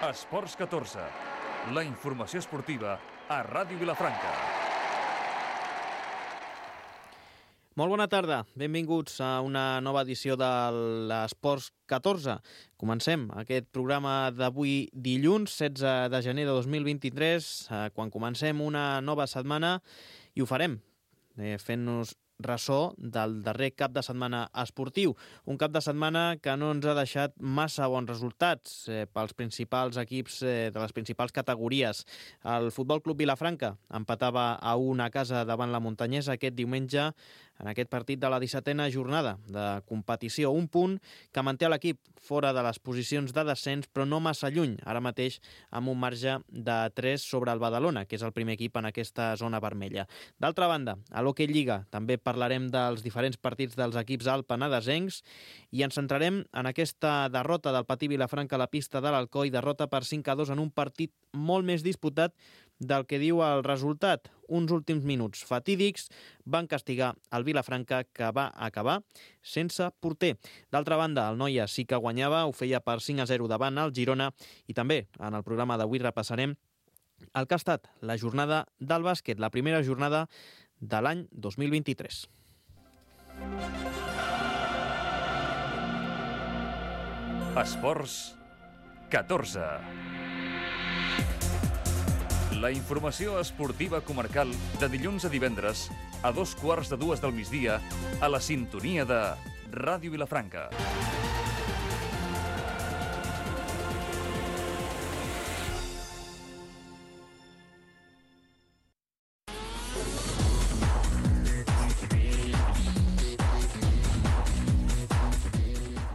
Esports 14, la informació esportiva a Ràdio Vilafranca. Molt bona tarda, benvinguts a una nova edició de l'Esports 14. Comencem aquest programa d'avui dilluns, 16 de gener de 2023, quan comencem una nova setmana, i ho farem fent-nos ressò del darrer cap de setmana esportiu. Un cap de setmana que no ens ha deixat massa bons resultats pels principals equips de les principals categories. El Futbol Club Vilafranca empatava a 1 a casa davant la Muntanyesa aquest diumenge en aquest partit de la 17a jornada de competició. Un punt que manté l'equip fora de les posicions de descens, però no massa lluny, ara mateix amb un marge de 3 sobre el Badalona, que és el primer equip en aquesta zona vermella. D'altra banda, a l'Hockey Lliga també parlarem dels diferents partits dels equips alpenadesencs i ens centrarem en aquesta derrota del Patí Vilafranca a la pista de l'Alcoi, derrota per 5-2 en un partit molt més disputat del que diu el resultat. Uns últims minuts fatídics van castigar el Vilafranca, que va acabar sense porter. D'altra banda, el Noia sí que guanyava, ho feia per 5-0 davant el Girona, i també en el programa d'avui repassarem el que ha estat la jornada del bàsquet, la primera jornada de l'any 2023. Esports 14. La informació esportiva comarcal de dilluns a divendres a 2:15 del migdia a la sintonia de Ràdio Vilafranca.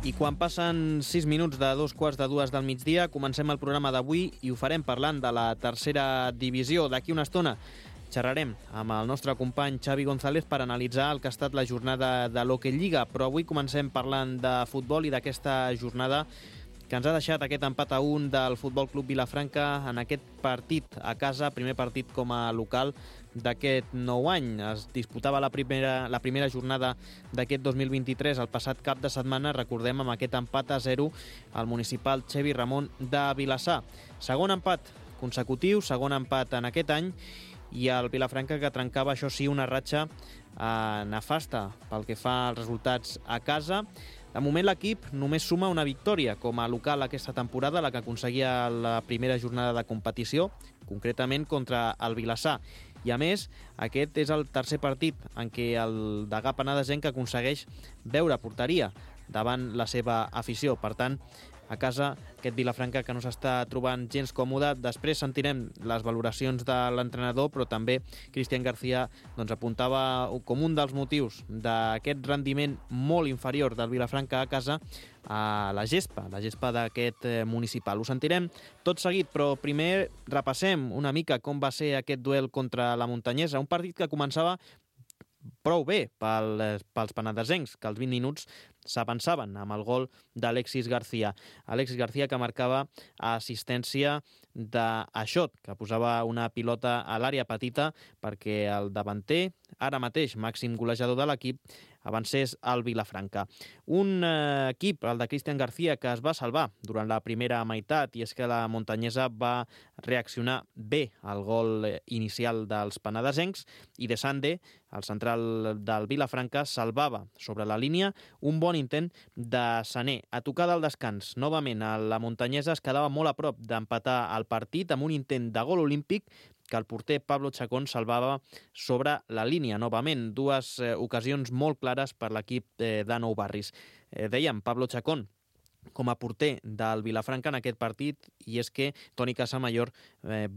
I quan passen 6 minuts de 2:15 del migdia, comencem el programa d'avui i ho farem parlant de la tercera divisió. D'aquí una estona xerrarem amb el nostre company Xavi González per analitzar el que ha estat la jornada de l'Hockey Lliga, però avui comencem parlant de futbol i d'aquesta jornada que ens ha deixat aquest empat a 1 del Futbol Club Vilafranca en aquest partit a casa, primer partit com a local d'aquest nou any. Es disputava la primera jornada d'aquest 2023 el passat cap de setmana, recordem, amb aquest empat a 0 al municipal Xevi Ramon de Vilassar. Segon empat consecutiu, segon empat en aquest any, i el Vilafranca que trencava, això sí, una ratxa nefasta pel que fa als resultats a casa. De moment l'equip només suma una victòria com a local aquesta temporada, la que aconseguia la primera jornada de competició, concretament contra el Vilassar. I a més, aquest és el tercer partit en què el degà penedesenc aconsegueix veure porteria davant la seva afició. Per tant, a casa, aquest Vilafranca que no s'està trobant gens còmode. Després sentirem les valoracions de l'entrenador, però també Cristian García apuntava com un dels motius d'aquest rendiment molt inferior del Vilafranca a casa a la gespa d'aquest municipal. Ho sentirem tot seguit, però primer repassem una mica com va ser aquest duel contra la Muntanyesa, un partit que començava prou bé pels penedesencs, que als 20 minuts s'avançaven amb el gol d'Alexis García. Alexis García que marcava assistència d'Aixot, que posava una pilota a l'àrea petita perquè el davanter, ara mateix màxim golejador de l'equip, avancés al Vilafranca. Un equip, el de Cristian García, que es va salvar durant la primera meitat, i és que la Muntanyesa va reaccionar bé al gol inicial dels penedesencs, i De Sande, el central del Vilafranca, salvava sobre la línia un bon intent de Sané. A tocar del descans, novament, la Muntanyesa es quedava molt a prop d'empatar el partit amb un intent de gol olímpic que el porter Pablo Chacón salvava sobre la línia. Novament, dues ocasions molt clares per l'equip de Nou Barris. Dèiem, Pablo Chacón com a porter del Vilafranca en aquest partit, i és que Toni Casamayor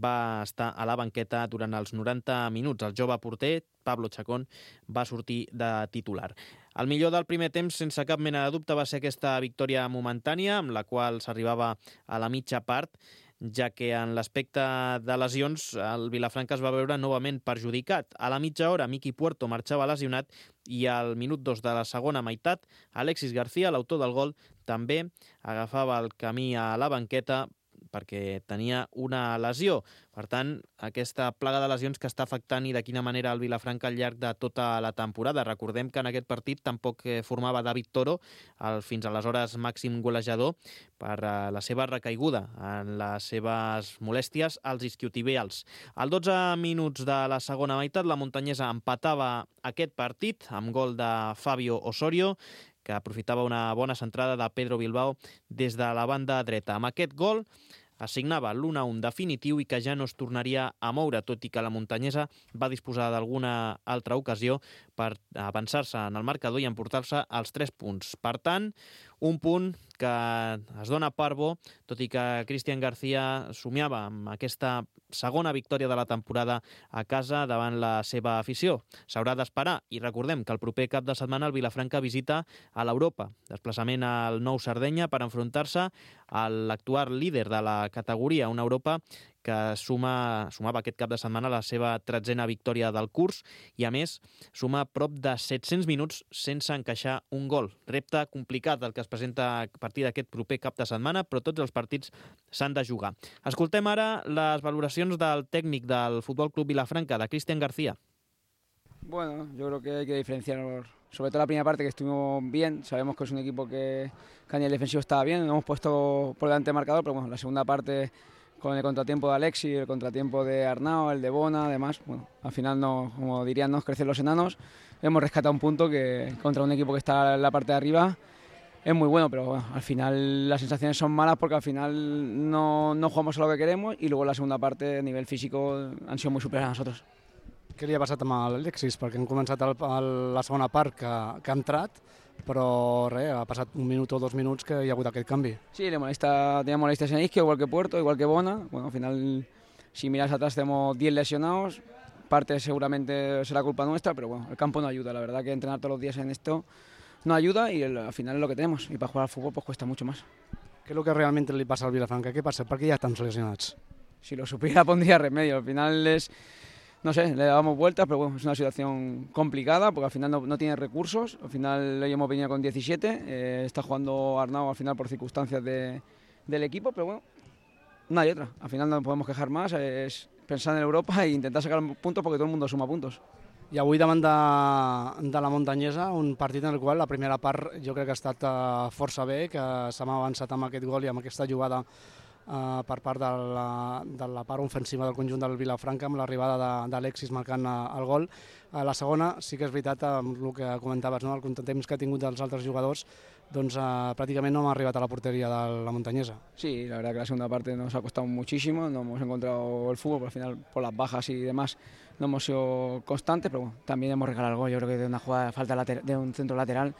va estar a la banqueta durant els 90 minuts. El jove porter, Pablo Chacón, va sortir de titular. El millor del primer temps, sense cap mena de dubte, va ser aquesta victòria momentània, amb la qual s'arribava a la mitja part, ja que en l'aspecte de lesions el Vilafranca es va veure novament perjudicat. A la mitja hora, Miki Puerto marxava lesionat i al minut 2 de la segona meitat, Alexis García, l'autor del gol, també agafava el camí a la banqueta perquè tenia una lesió. Per tant, aquesta plaga de lesions que està afectant i de quina manera el Vilafranca al llarg de tota la temporada. Recordem que en aquest partit tampoc formava David Toro, el fins aleshores màxim golejador, per la seva recaiguda en les seves molèsties als isquiotibials. Al 12 minuts de la segona meitat, la muntanyesa empatava aquest partit amb gol de Fabio Osorio, que aprofitava una bona centrada de Pedro Bilbao des de la banda dreta. Amb aquest gol assignava l'1-1 definitiu i que ja no es tornaria a moure, tot i que la muntanyesa va disposar d'alguna altra ocasió per avançar-se en el marcador i emportar-se els 3 punts. Per tant, un punt que es dona per bo, tot i que Cristian García somiava amb aquesta segona victòria de la temporada a casa davant la seva afició. S'haurà d'esperar i recordem que el proper cap de setmana el Vilafranca visita a l'Europa, desplaçament al Nou Sardenya per enfrontar-se a l'actual líder de la categoria, una Europa que sumava aquest cap de setmana la seva 13a victòria del curs i, a més, suma prop de 700 minuts sense encaixar un gol. Repte complicat el que es presenta a partir d'aquest proper cap de setmana, però tots els partits s'han de jugar. Escoltem ara les valoracions del tècnic del Futbol Club Vilafranca, de Cristian García. Bueno, yo creo que hay que diferenciar, sobre todo la primera parte, que estuvimos bien. Sabemos que es un equipo que a nivel defensivo estaba bien, nos hemos puesto por delante del marcador, pero bueno, la segunda parte, con el contratiempo de Alexis, el contratiempo de Arnau, el de Bona, además, bueno, al final, como dirían, nos crecen los enanos. Hemos rescatado un punto que contra un equipo que está en la parte de arriba es muy bueno, pero bueno, al final las sensaciones son malas porque al final no jugamos a lo que queremos y luego la segunda parte a nivel físico han sido muy superiores a nosotros. Què li ha passat amb l'Alexis? Perquè hem començat la segona part que ha entrat, però res, ha passat 1 minut o 2 minuts que hi ha hagut aquest canvi. Sí, tenía molestias en isquio, igual que Puerto, igual que Bona. Bueno, al final, si miras atrás, tenemos 10 lesionados. Parte seguramente será culpa nuestra, pero bueno, el campo no ayuda. La verdad que entrenar todos los días en esto no ayuda y al final es lo que tenemos. Y para jugar al fútbol pues cuesta mucho más. Què és el que realment li passa al Vilafranca? Què passa? Per què hi ha tants lesionats? Si lo supiera pondría remedio. Al final es... No sé, le damos vueltas, pero bueno, es una situación complicada porque al final no tiene recursos. Al final hoy hemos venido con 17, está jugando Arnau al final por circunstancias del equipo, pero bueno, no hay otra. Al final no podemos quejar más, es pensar en Europa e intentar sacar puntos porque todo el mundo suma puntos. I avui davant de la muntanyesa, un partit en el qual la primera part jo crec que ha estat força bé, que s'ha avançat amb aquest gol i amb aquesta jugada per part de la part ofensiva del conjunt del Vilafranca amb l'arribada d'Alexis marcant el gol. La segona, sí que és veritat, amb el que comentaves, no? El contratemps que ha tingut dels altres jugadors, doncs pràcticament no hem arribat a la porteria de la muntanyesa. Sí, la verdad que la segunda parte nos ha costado muchísimo, no hemos encontrado el fútbol, pero al final por las bajas y demás no hemos sido constantes, pero bueno, también hemos regalado el gol. Yo creo que de una jugada de falta de un centro lateral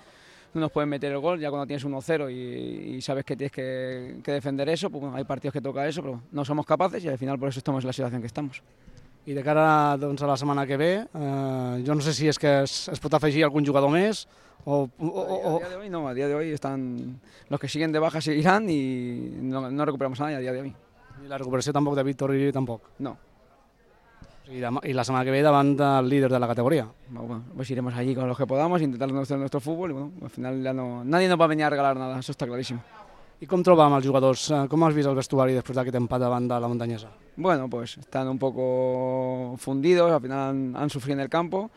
no nos pueden meter el gol, ya cuando tienes 1-0 y sabes que tienes que defender eso, pues bueno, hay partidos que toca eso, pero no somos capaces y al final por eso estamos en la situación que estamos. I de cara doncs, a la setmana que ve, jo no sé si és que es pot afegir algun jugador més o... A día de hoy están los que siguen de baja seguirán y no recuperamos a nadie a día de hoy. I la recuperació tampoc de Víctor Iri tampoc? No. I la setmana que ve davant del líder de la categoria. Bueno, pues iremos allí con los que podamos, intentar nuestro fútbol y bueno, al final ya nadie nos va a venir a regalar nada, eso está clarísimo. I com troba amb els jugadors? Com has vist el vestuari després d'aquest empat davant de la muntanyesa? Bueno, pues están un poco fundidos, al final han sufrido en el campo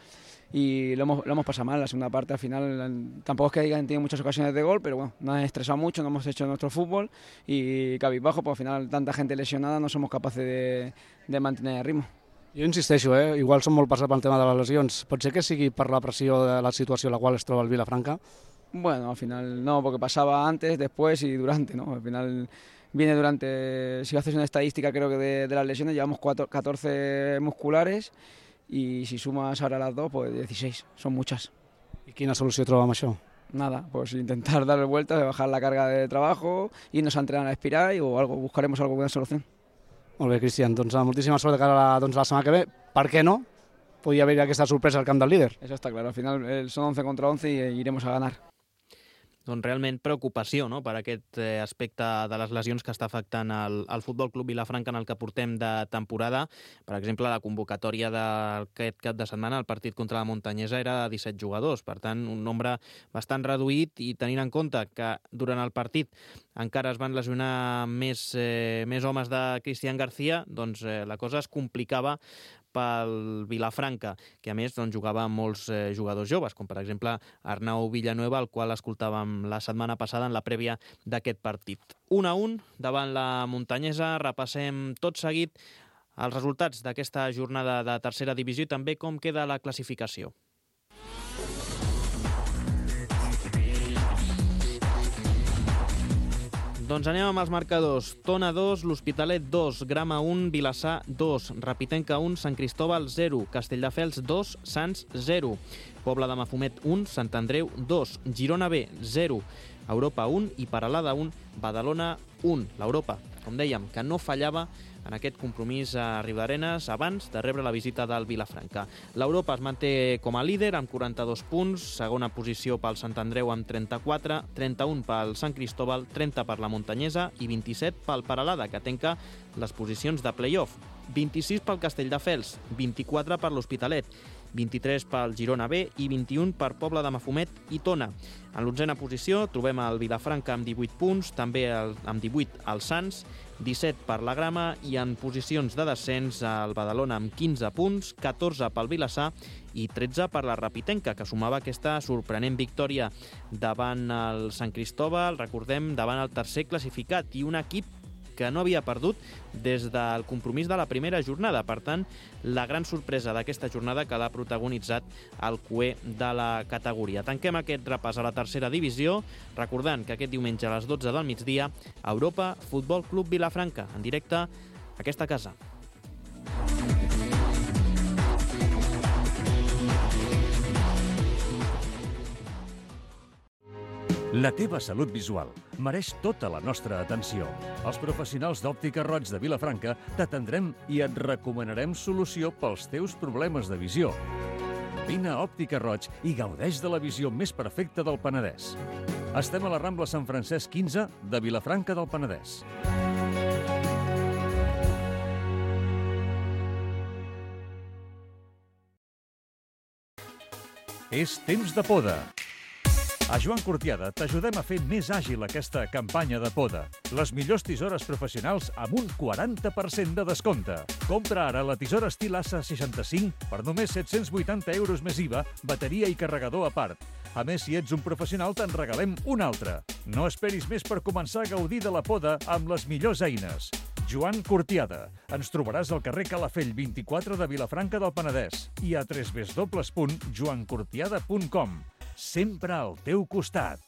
y lo hemos pasado mal. La segunda parte al final tampoco es que hayan tenido muchas ocasiones de gol, pero bueno, nos han estresado mucho, no hemos hecho nuestro fútbol y cabizbajo, pues al final tanta gente lesionada no somos capaces de mantener el ritmo. Jo insisteixo, igual som molt passats pel tema de les lesions. Pot ser que sigui per la pressió de la situació en la qual es troba el Vilafranca? Bueno, al final no, porque pasaba antes, después y durante, ¿no? Al final viene durante, si haces una estadística creo que de las lesiones, llevamos 14 musculares y si sumas ahora las 2, pues 16, son muchas. I quina solució troba amb això? Nada, pues intentar darle vueltas, bajar la carga de trabajo, irnos a entrenar a Espiral o algo, buscaremos alguna solución. Molt bé, Cristian, doncs moltíssima sort de cara a la setmana que ve. Per què no? Podria haver aquesta sorpresa al camp del líder. Eso está claro, al final son 11 contra 11 y iremos a ganar. realment preocupació, no?, per aquest aspecte de les lesions que està afectant el Futbol Club Vilafranca en el que portem de temporada. Per exemple, la convocatòria d'aquest cap de setmana, el partit contra la Montanyesa, era de 17 jugadors. Per tant, un nombre bastant reduït, i tenint en compte que durant el partit encara es van lesionar més homes de Cristian García, doncs la cosa es complicava pel Vilafranca, que a més jugava amb molts jugadors joves, com per exemple Arnau Villanueva, el qual escoltàvem la setmana passada en la prèvia d'aquest partit. 1-1 davant la Montanyesa. Repassem tot seguit els resultats d'aquesta jornada de tercera divisió i també com queda la classificació. Doncs anem amb els marcadors. Tona 2, l'Hospitalet 2, Grama 1, Vilassar 2, Rapitenca 1, Sant Cristóbal 0, Castelldefels 2, Sants 0, Pobla de Mafumet 1, Sant Andreu 2, Girona B 0, Europa 1 i Peralada 1, Badalona 1. L'Europa, com dèiem, que no fallava en aquest compromís a Riudarenes abans de rebre la visita del Vilafranca. L'Europa es manté com a líder amb 42 punts, segona posició pel Sant Andreu amb 34, 31 pel Sant Cristóbal, 30 per la Montanyesa i 27 pel Peralada, que tanca les posicions de play-off. 26 pel Castelldefels, 24 per l'Hospitalet, 23 pel Girona B i 21 per Pobla de Mafumet i Tona. En l'onzena posició trobem el Vilafranca amb 18 punts, també amb 18 el Sants, 17 per la Grama i en posicions de descens el Badalona amb 15 punts, 14 pel Vilassar i 13 per la Rapitenca, que sumava aquesta sorprenent victòria davant el Sant Cristóbal, recordem, davant el tercer classificat i un equip que no havia perdut des del compromís de la primera jornada. Per tant, la gran sorpresa d'aquesta jornada que l'ha protagonitzat el cué de la categoria. Tanquem aquest repàs a la tercera divisió, recordant que aquest diumenge a les 12 del migdia, Europa Futbol Club Vilafranca, en directe a aquesta casa. La teva salut visual mereix tota la nostra atenció. Els professionals d'Òptica Roig de Vilafranca t'atendrem i et recomanarem solució pels teus problemes de visió. Vine a Òptica Roig i gaudeix de la visió més perfecta del Penedès. Estem a la Rambla Sant Francesc 15 de Vilafranca del Penedès. És temps de poda. A Joan Cortiada t'ajudem a fer més àgil aquesta campanya de poda. Les millors tisores professionals amb un 40% de descompte. Compra ara la tisora estil Assa 65 per només 780 euros més IVA, bateria i carregador a part. A més, si ets un professional, te'n regalem una altra. No esperis més per començar a gaudir de la poda amb les millors eines. Joan Cortiada. Ens trobaràs al carrer Calafell 24 de Vilafranca del Penedès i a www.joancortiada.com. Sempre al teu costat.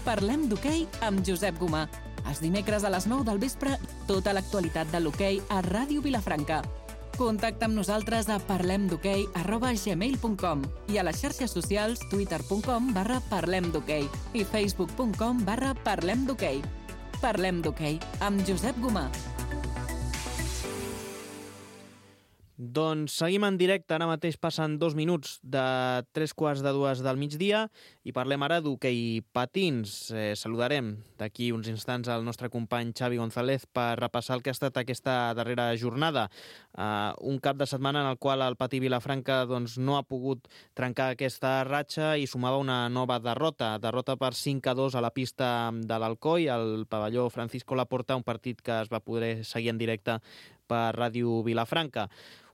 Parlem d'hoquei amb Josep Gomà. Els dimecres a les 9 del vespre, tota l'actualitat de l'hoquei a Ràdio Vilafranca. Contacta amb nosaltres a parlemdhoquei@gmail.com i a les xarxes socials twitter.com/parlemdhoquei i facebook.com/parlemdhoquei. Parlem d'hoquei amb Josep Gomà. Doncs seguim en directe, ara mateix passen 2 minuts de 3:45 del migdia i parlem ara d'hoquei patins. Saludarem d'aquí uns instants al nostre company Xavi González per repassar el que ha estat aquesta darrera jornada. Un cap de setmana en el qual el patí Vilafranca no ha pogut trencar aquesta ratxa i sumava una nova derrota per 5-2 a la pista de l'Alcoi, al pavelló Francisco Laporta, un partit que es va poder seguir en directe per Ràdio Vilafranca.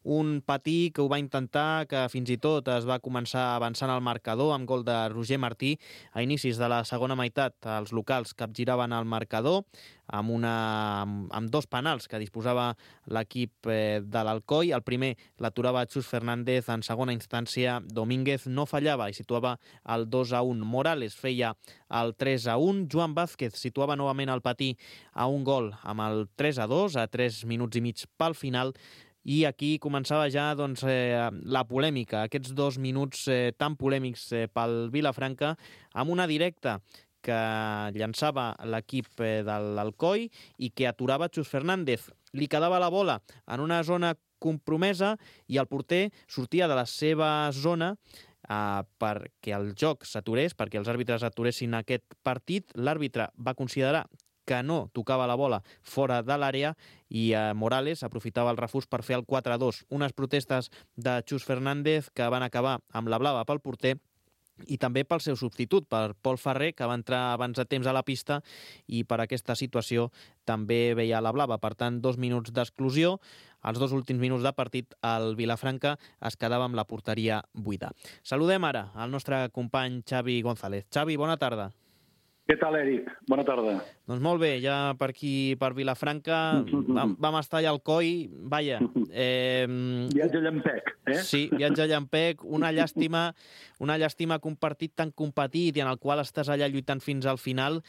Un patí que ho va intentar, que fins i tot es va començar avançant al marcador amb gol de Roger Martí a inicis de la segona meitat. Els locals capgiraven el marcador amb 2 penals que disposava l'equip de l'Alcoi. El primer l'aturava Xus Fernández, en segona instància Domínguez no fallava i situava el 2-1. Morales feia el 3-1. Joan Vázquez situava novament el patí a un gol amb el 3-2 a 3 minuts i mig pel final. I aquí començava ja la polèmica, aquests 2 minuts tan polèmics pel Vilafranca, amb una directa que llançava l'equip de l'Alcoi i que aturava Xus Fernández. Li quedava la bola en una zona compromesa i el porter sortia de la seva zona perquè el joc s'aturés, perquè els àrbitres aturessin aquest partit. L'àrbitre va considerar que no tocava la bola fora de l'àrea i Morales aprofitava el refús per fer el 4-2. Unes protestes de Chus Fernández que van acabar amb la blava pel porter i també pel seu substitut, per Pol Ferrer, que va entrar abans de temps a la pista i per aquesta situació també veia la blava. Per tant, 2 minuts d'exclusió. Els 2 últims minuts de partit, el Vilafranca es quedava amb la porteria buida. Saludem ara al nostre company Xavi González. Xavi, bona tarda. Què tal, Eric? Bona tarda. Doncs molt bé, ja per aquí, per Vilafranca, vam estar allà al coll, vaja. Viatge llampec, eh? Sí, viatge llampec, una llàstima que un partit tan competit i en el qual estàs allà lluitant fins al final,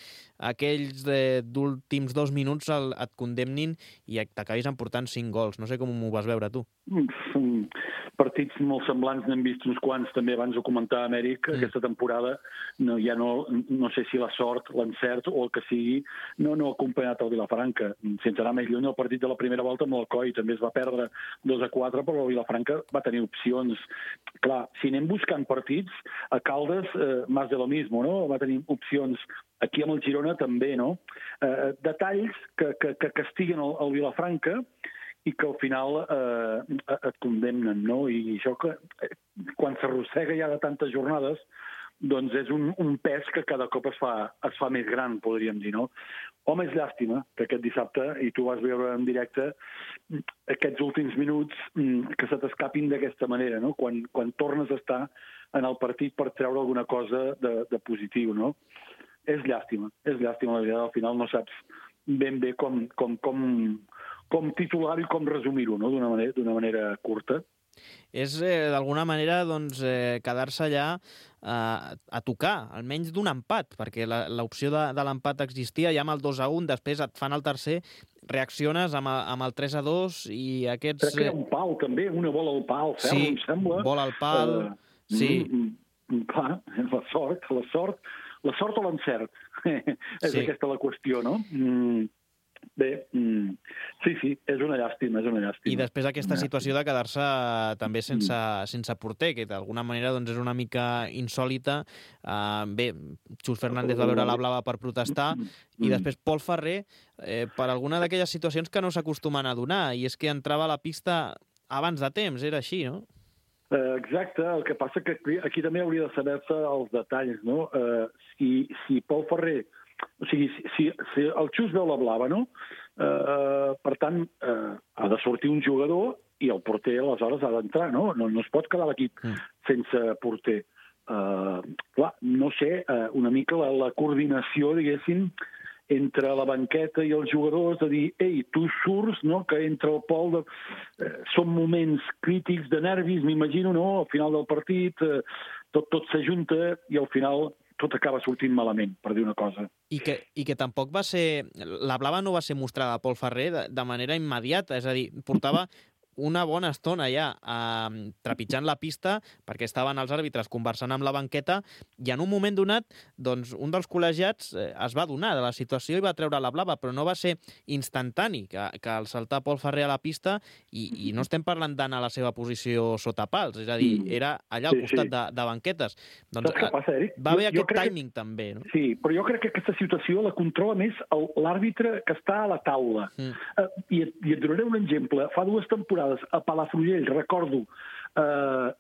aquells d'últims 2 minuts et condemnin i t'acabis emportant 5 gols. No sé com ho vas veure, tu. Partits molt semblants n'hem vist uns quants, també abans ho comentava Amèric, aquesta temporada no sé si la sort, l'encert o el que sigui, no ha acompanyat el Vilafranca. Sense anar més lluny, el partit de la primera volta amb l'Alcoi també es va perdre 2-4, però el Vilafranca va tenir opcions. Clar, si anem buscant partits, a Caldes, más de lo mismo, no? Va tenir opcions. Aquí amb el Girona també, no? Detalls que castiguen el Vilafranca i que al final et condemnen, no? I això que quan s'arrossega ja de tantes jornades, doncs és un pes que cada cop es fa més gran, podríem dir, no? Home, és llàstima que aquest dissabte, i tu vas veure en directe, aquests últims minuts que se t'escapin d'aquesta manera, no? Quan tornes a estar en el partit per treure alguna cosa de positiu, no? És llàstima, la veritat, al final no saps ben bé com titular i com resumir-ho, no? D'una manera curta. És, d'alguna manera, doncs, quedar-se allà a tocar, almenys d'un empat, perquè l'opció de l'empat existia ja amb el 2-1, després et fan el tercer, reacciones amb el 3-2 i aquests... Crec que hi ha un pal, també, una bola al pal, ferro, em sembla. Sí, bola al pal, sí. Clar, la sort o l'encert, és aquesta la qüestió, no? Bé, sí, és una llàstima. I després aquesta situació de quedar-se també sense porter, que d'alguna manera doncs, és una mica insòlita. Bé, Chus Fernández va veure la blava per protestar i després Pol Ferrer per alguna d'aquelles situacions que no s'acostumen a donar, i és que entrava a la pista abans de temps, era així, no? Exacte, el que passa que aquí també hauria de saber-se els detalls, no? Si Pol Ferrer... O sigui, si el Xus veu la blava, no? Per tant, ha de sortir un jugador i el porter aleshores ha d'entrar, no? No es pot quedar l'equip sense porter. Clar, no sé, una mica la coordinació, diguéssim, entre la banqueta i els jugadors, de dir, ei, tu surts, no?, que entre el Pol... Són moments crítics de nervis, m'imagino, no?, al final del partit, tot s'ajunta i al final tot acaba sortint malament, per dir una cosa. I que tampoc va ser... La blava no va ser mostrada a Pol Ferrer de manera immediata, és a dir, portava una bona estona ja trepitjant la pista perquè estaven els àrbitres conversant amb la banqueta i en un moment donat doncs, un dels col·legiats es va adonar de la situació i va treure la blava, però no va ser instantani que al saltar Pol Ferrer a la pista i no estem parlant d'anar a la seva posició sota pals, és a dir, era allà al costat de banquetes. Doncs, saps què passa, Eric? Va haver aquest timing també, no? Sí, però jo crec que aquesta situació la controla més l'àrbitre que està a la taula. I et donaré un exemple. Fa 2 temporades a Palafrugell, recordo,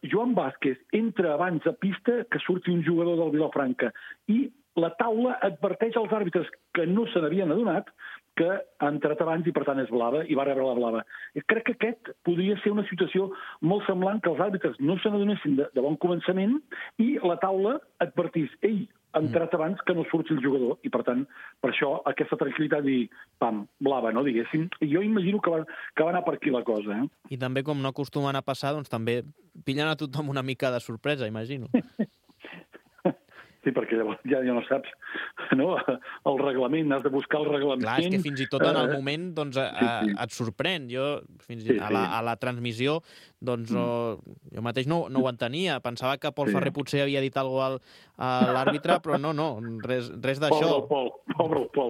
Joan Vázquez entra abans a pista que surti un jugador del Vilafranca i la taula adverteix als àrbitres que no se n'havien adonat que ha entrat abans i per tant és blava i va rebre la blava. I crec que aquest podria ser una situació molt semblant, que els àrbitres no se n'adonessin de bon començament i la taula advertís, ei, ha entrat abans que no surti el jugador i per tant, per això, aquesta tranquil·litat i pam, blava, no, diguéssim. Jo imagino que va anar per aquí la cosa, eh? I també, com no acostumen a passar, doncs també pillen a tothom una mica de sorpresa, imagino. Sí, perquè llavors ja no saps, no? El reglament, has de buscar el reglament. Clar, és que fins i tot en el moment doncs, et sorprèn. Jo, a la transmissió, doncs, jo mateix no ho entenia. Pensava que Pol Ferrer potser havia dit alguna cosa a l'àrbitre, però no, res d'això. Pobre el Pol.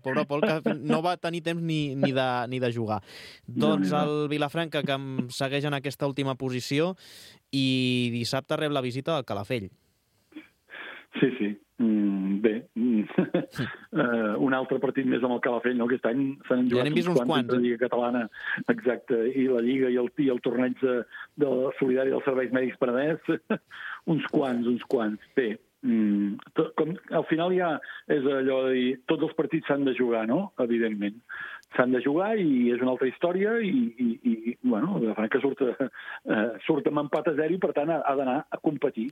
Pobre Pol, que no va tenir temps ni de jugar. Doncs el Vilafranca, que em segueix en aquesta última posició, i dissabte rep la visita del Calafell. Sí. Bé, un altre partit més amb el Calafell, no? Aquest any s'han jugat uns quants de la Lliga Catalana, exacte, i la Lliga i el torneig de solidari dels serveis mèdics Penedès, uns quants. Bé, al final ja és allò de dir, tots els partits s'han de jugar, no? Evidentment. S'han de jugar i és una altra història i bueno, el Vilafranca surt amb empat a 0 i per tant ha d'anar a competir.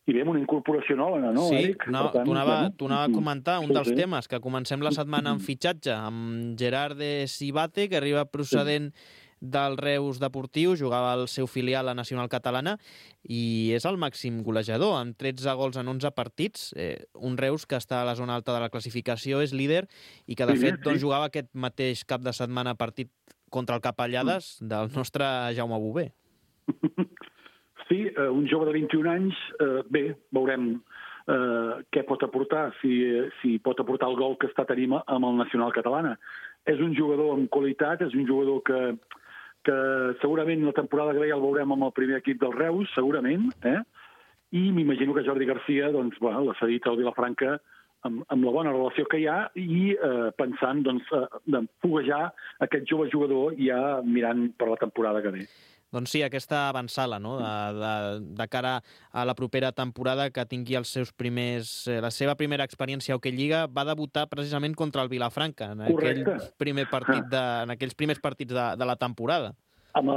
I ve amb una incorporació nova, no, sí, Eric? T'ho anava a comentar, un dels temes, que comencem la setmana amb fitxatge, amb Gerard de Cibate, que arriba procedent del Reus Deportiu, jugava al seu filial a Nacional Catalana, i és el màxim golejador, amb 13 gols en 11 partits, un Reus que està a la zona alta de la classificació, és líder, i que de fet jugava aquest mateix cap de setmana partit contra el Capellades del nostre Jaume Bové. Sí, un jove de 21 anys, bé, veurem què pot aportar, si pot aportar el gol que està tenint amb el Nacional Catalana. És un jugador amb qualitat, és un jugador que segurament la temporada que ve ja el veurem amb el primer equip del Reus, segurament, i m'imagino que Jordi Garcia l'ha cedit al Vilafranca amb la bona relació que hi ha i pensant de foguejar aquest jove jugador ja mirant per la temporada que ve. Doncs sí, aquesta avançala, no?, de cara a la propera temporada, que tingui la seva primera experiència a Hockey Lliga, va debutar precisament contra el Vilafranca en aquells primers partits de la temporada. Amb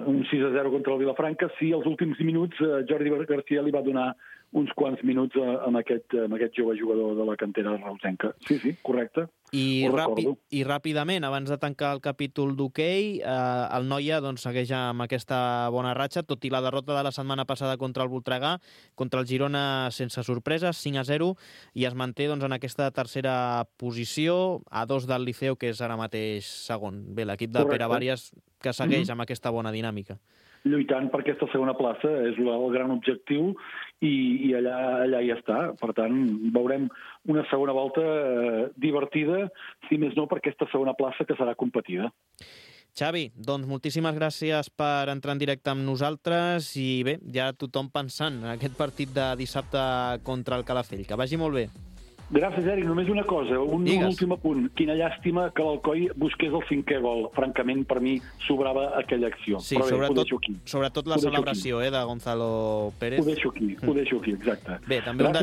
un 6-0 contra el Vilafranca, sí, els últims minuts Jordi Garcia li va donar uns quants minuts amb aquest jove jugador de la cantera reusenca. Sí, correcte. I ràpidament, abans de tancar el capítol d'hoquei, el Noia segueix amb aquesta bona ratxa, tot i la derrota de la setmana passada contra el Voltregà, contra el Girona sense sorpreses, 5-0, i es manté en aquesta tercera posició, a 2 del Liceo, que és ara mateix segon. Bé, l'equip de Pere Vàries que segueix amb aquesta bona dinàmica. Lluitant per aquesta segona plaça és el gran objectiu i allà ja està. Per tant, veurem una segona volta divertida, si més no per aquesta segona plaça que serà competida. Xavi, doncs moltíssimes gràcies per entrar en directe amb nosaltres i bé, ja tothom pensant en aquest partit de dissabte contra el Calafell. Que vagi molt bé. Gràcies, Eric. Només una cosa, un últim apunt. Quina llàstima que l'Alcoi busqués el 5è gol. Francament, per mi, sobrava aquella acció. Sí, sobretot la celebració de Gonzalo Pérez. Ho deixo aquí, exacte. Bé, també un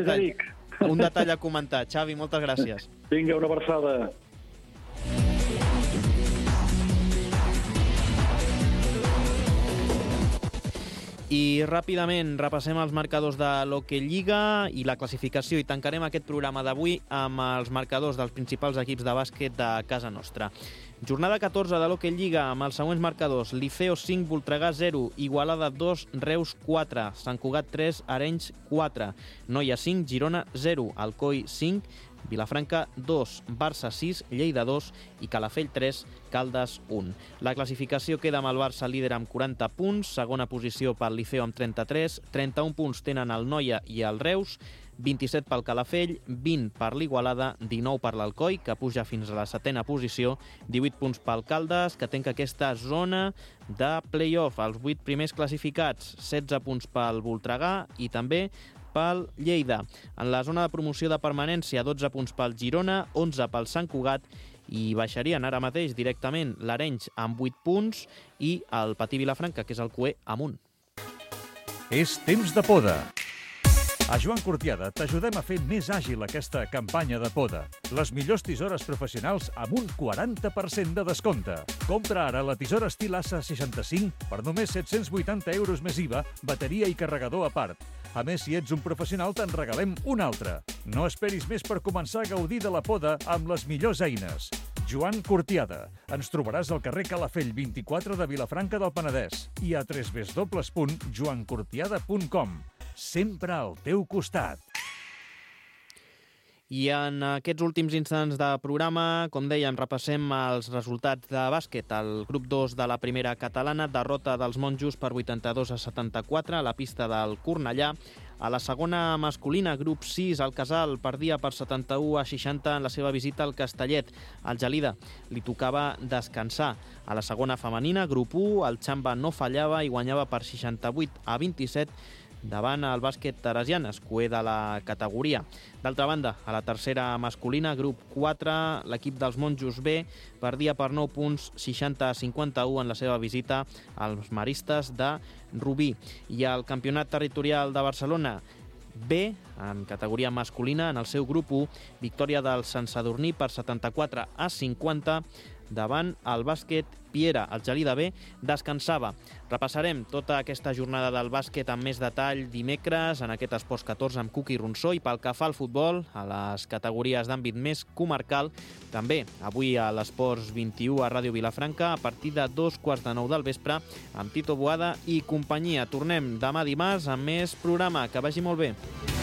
detall a comentar. Xavi, moltes gràcies. Vinga, una abraçada. I ràpidament repassem els marcadors de l'Hockey Lliga i la classificació i tancarem aquest programa d'avui amb els marcadors dels principals equips de bàsquet de casa nostra. Jornada 14 de l'Hockey Lliga amb els següents marcadors: Liceo 5, Voltregà 0, Igualada 2, Reus 4, Sant Cugat 3, Arenys 4, Noia 5, Girona 0, Alcoi 5, Vilafranca 2, Barça 6, Lleida 2 i Calafell 3, Caldes 1. La classificació queda amb el Barça líder amb 40 punts, segona posició pel Liceo amb 33, 31 punts tenen el Noia i el Reus, 27 pel Calafell, 20 per l'Igualada, 19 per l'Alcoi, que puja fins a la 7a posició, 18 punts pel Caldes, que tanca aquesta zona de play-off, els 8 primers classificats, 16 punts pel Voltregà i també pel Lleida. En la zona de promoció de permanència, 12 punts pel Girona, 11 pel Sant Cugat i baixarien ara mateix directament l'Arenys amb 8 punts i el Patí Vilafranca, que és el cuer, amb 1. És temps de poda. A Joan Cortiada t'ajudem a fer més àgil aquesta campanya de poda. Les millors tisores professionals amb un 40% de descompte. Compra ara la tisora estil Assa 65 per només 780 euros més IVA, bateria i carregador a part. A més, si ets un professional, te'n regalem un altre. No esperis més per començar a gaudir de la poda amb les millors eines. Joan Cortiada. Ens trobaràs al carrer Calafell 24 de Vilafranca del Penedès i a www.joancortiada.com. Sempre al teu costat. I en aquests últims instants de programa, com dèiem, repassem els resultats de bàsquet. El grup 2 de la primera catalana, derrota dels monjos per 82-74 a la pista del Cornellà. A la segona masculina, grup 6, el Casal perdia per 71-60 en la seva visita al Castellet. Al Gelida li tocava descansar. A la segona femenina, grup 1, el Xamba no fallava i guanyava per 68-27 davant el bàsquet teresianes, coer de la categoria. D'altra banda, a la tercera masculina, grup 4, l'equip dels monjos B perdia per 9 punts, 60-51 en la seva visita als maristes de Rubí. I al campionat territorial de Barcelona, B, en categoria masculina, en el seu grup 1, victòria del Sant Sadurní per 74-50 davant el bàsquet Piera. El Gelida B descansava. Repassarem tota aquesta jornada del bàsquet amb més detall dimecres en aquest Esports 14 amb Cuqui Ronsó, i pel que fa al futbol, a les categories d'àmbit més comarcal, també avui a l'Esports 21 a Ràdio Vilafranca a partir de 2:15 del vespre amb Tito Boada i companyia. Tornem demà dimarts amb més programa. Que vagi molt bé.